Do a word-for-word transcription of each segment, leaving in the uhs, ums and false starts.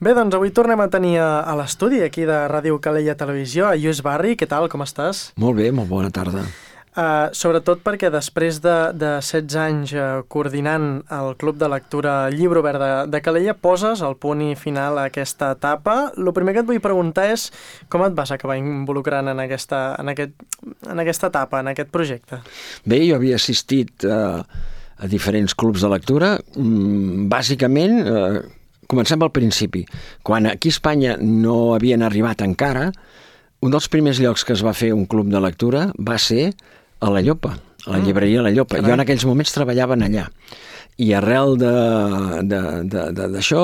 Bé, doncs avui tornem a tenir a, a l'estudi aquí de Ràdio Calella Televisió, a Lluís Barri. Què tal, com estàs? Molt bé, molt bona tarda. Uh, sobretot perquè després de, de setze anys uh, coordinant el Club de Lectura Llibre Obert de, de Calella, poses el punt i final a aquesta etapa. El primer que et vull preguntar és com et vas acabar involucrant en aquesta, en aquest, en aquesta etapa, en aquest projecte? Bé, jo havia assistit uh, a diferents clubs de lectura. Mm, bàsicament, uh, comencem pel principi. Quan aquí a Espanya no havien arribat encara, un dels primers llocs que es va fer un club de lectura va ser a la Llopa, a la llibreria La Llopa. Jo en aquells moments treballaven allà. I arrel d'això,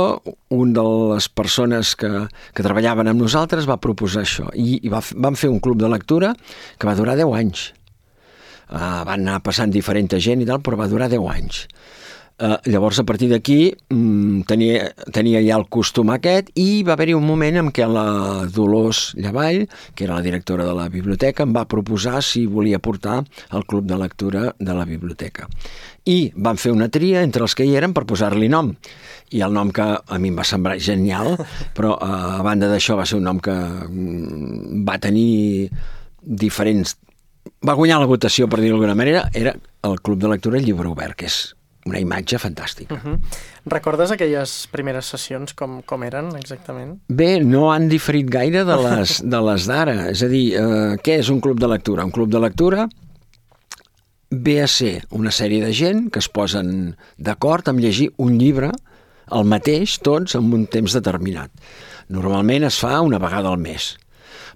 un de les persones que, que treballaven amb nosaltres va proposar això. I, i va, vam fer un club de lectura que va durar deu anys. Uh, van anar passant diferent gent i tal, però va durar deu anys. Uh, llavors, a partir d'aquí, um, tenia, tenia ja el costum aquest i va haver-hi un moment en què la Dolors Llavall, que era la directora de la biblioteca, em va proposar si volia portar el club de lectura de la biblioteca. I van fer una tria entre els que hi eren per posar-li nom. I el nom que a mi em va semblar genial, però uh, a banda d'això va ser un nom que um, va tenir diferents... Va guanyar la votació, per dir-ho d'alguna manera, era el Club de Lectura Llibre Obert, que és una imatge fantàstica. Uh-huh. Recordes aquelles primeres sessions com, com eren exactament? Bé, no han diferit gaire de les, de les d'ara. És a dir, eh, què és un club de lectura? Un club de lectura ve a ser una sèrie de gent que es posen d'acord amb llegir un llibre el mateix, tots, en un temps determinat. Normalment es fa una vegada al mes,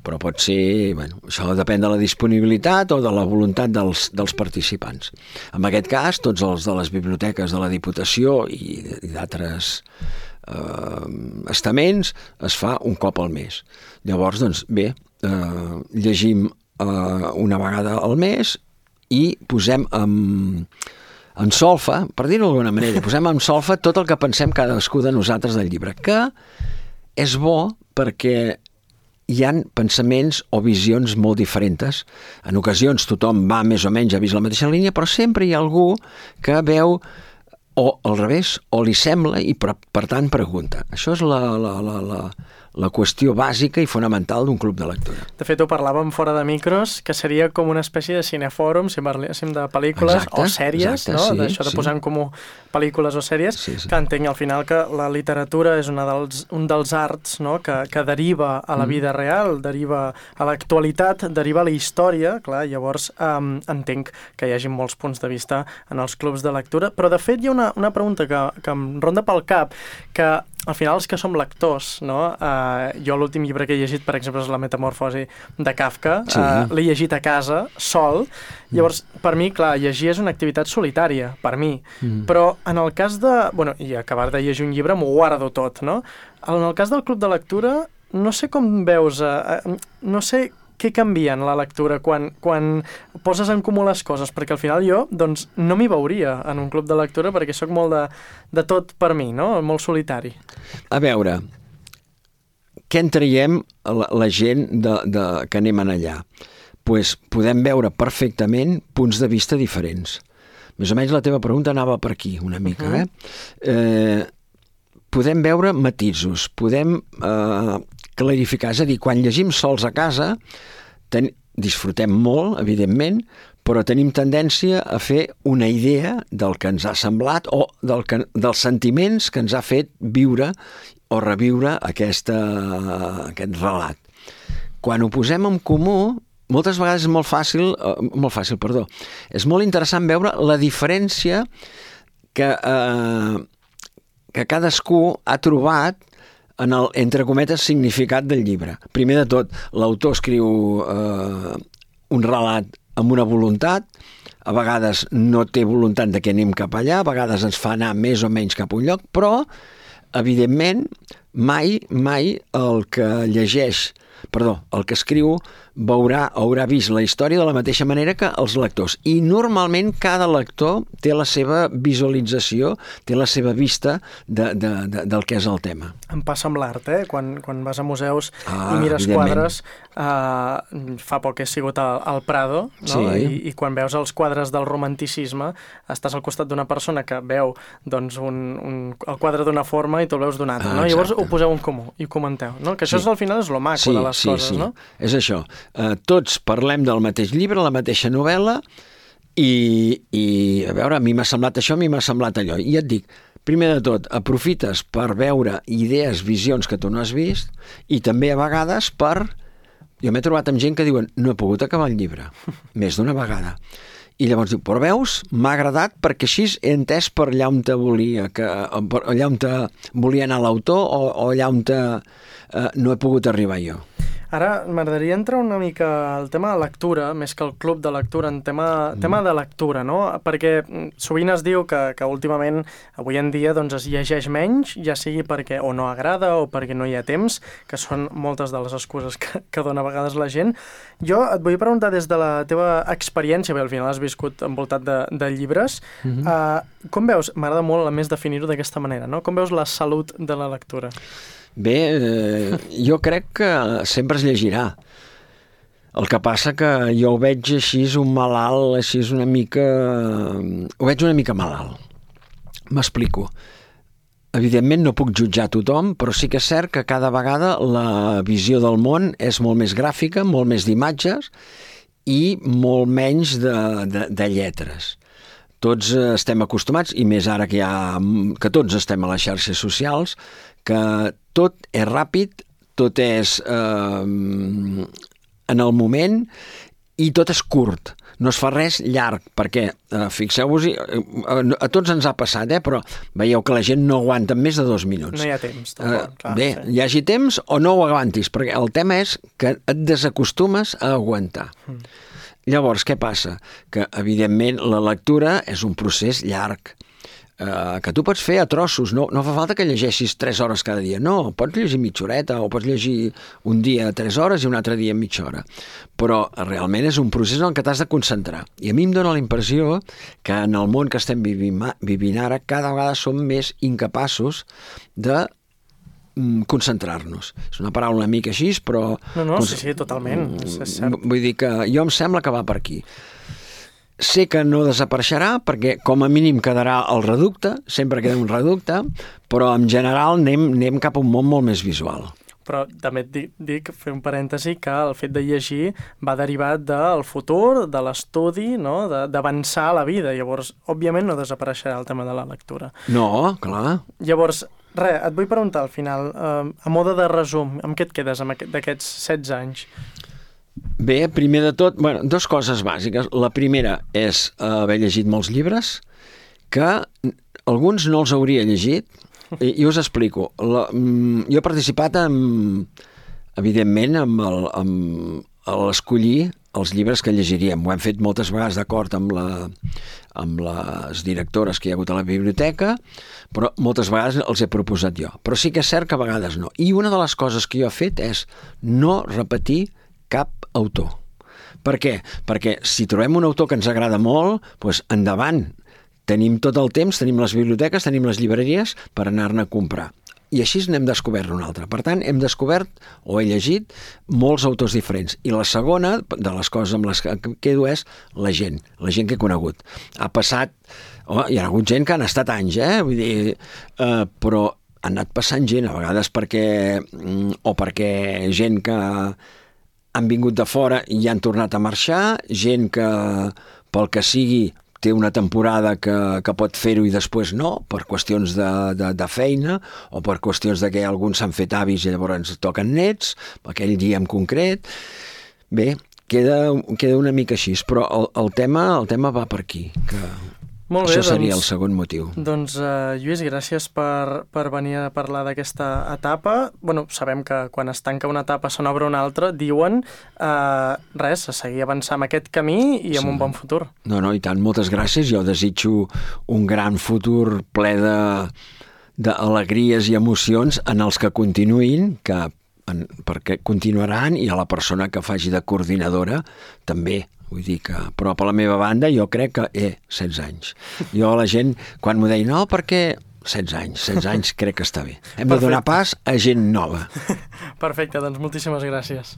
però pot ser, bueno, això depèn de la disponibilitat o de la voluntat dels, dels participants. En aquest cas, tots els de les biblioteques de la Diputació i, i d'altres eh, estaments es fa un cop al mes. Llavors, doncs, bé, eh, llegim eh, una vegada al mes i posem en, en solfa, per dir-ho d'alguna manera, posem en solfa tot el que pensem cadascú de nosaltres del llibre, que és bo perquè hi ha pensaments o visions molt diferents. En ocasions tothom va més o menys a vist la mateixa línia, però sempre hi ha algú que veu o al revés, o li sembla i per, per tant pregunta. Això és la, la, la, la, la qüestió bàsica i fonamental d'un club de lectura. De fet, ho parlàvem fora de micros, que seria com una espècie de cinefòrum, si parléssim de pel·lícules exacte, o sèries, exacte, no? Sí, d'això de sí. posar en comú pel·lícules o sèries, sí, sí. que entenc al final que la literatura és una dels, un dels arts, no? que, que deriva a la vida real, deriva a l'actualitat, deriva a la història, clar, llavors um, entenc que hi hagi molts punts de vista en els clubs de lectura, però de fet hi ha una, una pregunta que, que em ronda pel cap, que al final els que som lectors, no? Uh, jo l'últim llibre que he llegit, per exemple, és La Metamorfosi de Kafka, sí. uh, l'he llegit a casa, sol, mm. llavors, per mi, clar, llegir és una activitat solitària, per mi, mm. però en el cas de... Bueno, i acabar de llegir un llibre m'ho guardo tot, no? En el cas del club de lectura, no sé com veus, uh, no sé què canvia en la lectura quan, quan poses en comú les coses, perquè al final jo doncs, no m'hi veuria en un club de lectura perquè sóc molt de, de tot per mi, no? Molt solitari. A veure, què en traiem la, la gent de, de, que anem allà? Pues podem veure perfectament punts de vista diferents. Més o menys la teva pregunta anava per aquí una mica. Uh-huh. eh? Eh, podem veure matisos, podem... Eh, clarificar, és a dir, quan llegim sols a casa ten... disfrutem molt, evidentment, però tenim tendència a fer una idea del que ens ha semblat o del que... dels sentiments que ens ha fet viure o reviure aquesta... aquest relat. Quan ho posem en comú, moltes vegades és molt fàcil, eh, molt fàcil, perdó, és molt interessant veure la diferència que, eh, que cadascú ha trobat en el, entre cometes, significat del llibre. Primer de tot, l'autor escriu eh, un relat amb una voluntat, a vegades no té voluntat de que anem cap allà, a vegades ens fa anar més o menys cap a un lloc, però, evidentment, mai, mai el que llegeix perdó, el que escriu veurà, haurà vist la història de la mateixa manera que els lectors. I normalment cada lector té la seva visualització, té la seva vista de, de, de, del que és el tema. Em passa amb l'art, eh? Quan, quan vas a museus ah, i mires quadres, eh, fa poc he sigut al, al Prado, no? Sí. I, i quan veus els quadres del romanticisme, estàs al costat d'una persona que veu doncs, un, un, el quadre d'una forma i tu el veus d'una altra, ah, no? Llavors ho poseu en comú i ho comenteu, no? Que això sí. és, al final és lo maco sí, de les sí, coses, sí. no? És això. Uh, tots parlem del mateix llibre, la mateixa novel·la, i, i a veure, a mi m'ha semblat això, a mi m'ha semblat allò. I et dic, primer de tot, aprofites per veure idees, visions que tu no has vist, i també a vegades per... Jo m'he trobat amb gent que diuen, no he pogut acabar el llibre, més d'una vegada. I llavors diu, però veus, m'ha agradat perquè així he entès per allà on te volia, que, per allà on te volia anar l'autor o, o allà on te, eh, no he pogut arribar jo. Ara m'agradaria entrar una mica al tema de lectura, més que el club de lectura, en tema, mm. tema de lectura, no? Perquè sovint es diu que, que últimament, avui en dia, doncs es llegeix menys, ja sigui perquè o no agrada o perquè no hi ha temps, que són moltes de les excuses que, que dona a vegades la gent. Jo et vull preguntar des de la teva experiència, perquè al final has viscut envoltat de, de llibres, mm-hmm. uh, com veus, m'agrada molt a més definir-ho d'aquesta manera, no? Com veus la salut de la lectura? Bé, eh, jo crec que sempre es llegirà. El que passa que jo ho veig així un malalt, així una mica... Ho veig una mica malalt. M'explico. Evidentment no puc jutjar tothom, però sí que és cert que cada vegada la visió del món és molt més gràfica, molt més d'imatges i molt menys de, de, de lletres. Tots estem acostumats, i més ara que, hi ha, que tots estem a les xarxes socials, que tot és ràpid, tot és eh, en el moment i tot és curt. No es fa res llarg, perquè, eh, fixeu-vos, eh, a tots ens ha passat, eh, però veieu que la gent no aguanta més de dos minuts. No hi ha temps. Tampoc, eh, clar, bé, sí. Hi hagi temps o no ho aguantis, perquè el tema és que et desacostumes a aguantar. Mm. Llavors, què passa? Que, evidentment, la lectura és un procés llarg, eh, que tu pots fer a trossos, no, no fa falta que llegeixis tres hores cada dia, no, pots llegir mitja horeta o pots llegir un dia tres hores i un altre dia mitja hora, però realment és un procés en què t'has de concentrar. I a mi em dóna la impressió que en el món que estem vivint, vivint ara, cada vegada som més incapaços de concentrar-nos. És una paraula una mica així, però... No, no, sí, sí, totalment. És, és cert. Vull dir que jo em sembla que va per aquí. Sé que no desapareixerà, perquè com a mínim quedarà el reducte, sempre queda un reducte, però en general anem, anem cap a un món molt més visual. Però també et dic, dic, fer un parèntesi, que el fet de llegir va derivat del futur, de l'estudi, no? D'avançar a la vida. Llavors, òbviament, no desapareixerà el tema de la lectura. No, clar. Llavors, res, et vull preguntar al final, eh, a mode de resum, amb què et quedes d'aquests setze anys? Bé, primer de tot, bueno, dues coses bàsiques. La primera és haver llegit molts llibres, que alguns no els hauria llegit, i, i us explico. La, jo he participat, en, evidentment, amb el, amb l'escollir els llibres que llegiríem. Ho hem fet moltes vegades d'acord amb, la, amb les directores que hi ha hagut a la biblioteca, però moltes vegades els he proposat jo. Però sí que és cert que a vegades no. I una de les coses que jo he fet és no repetir cap autor. Per què? Perquè si trobem un autor que ens agrada molt, doncs endavant. Tenim tot el temps, tenim les biblioteques, tenim les llibreries per anar-ne a comprar. I així n'hem descobert un altre. Per tant, hem descobert, o he llegit, molts autors diferents. I la segona de les coses amb les que quedo és la gent, la gent que he conegut. Ha passat... Oh, hi ha hagut gent que han estat anys, eh? Vull dir, eh, però han anat passant gent, a vegades perquè... o perquè gent que han vingut de fora i han tornat a marxar, gent que, pel que sigui, té una temporada que, que pot fer-ho i després no, per qüestions de, de, de feina o per qüestions de que alguns s'han fet avis i llavors ens toquen nets, aquell dia en concret. Bé, queda, queda una mica així, però el, el, tema, el tema va per aquí, que molt bé, això seria doncs, el segon motiu. Doncs, uh, Lluís, gràcies per, per venir a parlar d'aquesta etapa. Bueno, sabem que quan es tanca una etapa se n'obre una altra, diuen uh, res, a seguir avançant amb aquest camí i amb sí. un bon futur. No, no, i tant, moltes gràcies. Jo desitjo un gran futur ple de d'alegries i emocions en els que continuïn, que en, perquè continuaran, i a la persona que faci de coordinadora també. Vull dir que, però per la meva banda jo crec que, eh, setze anys. Jo la gent, quan m'ho deia, no, perquè setze anys, setze anys crec que està bé. Hem Perfecte. de donar pas a gent nova. Perfecte, doncs moltíssimes gràcies.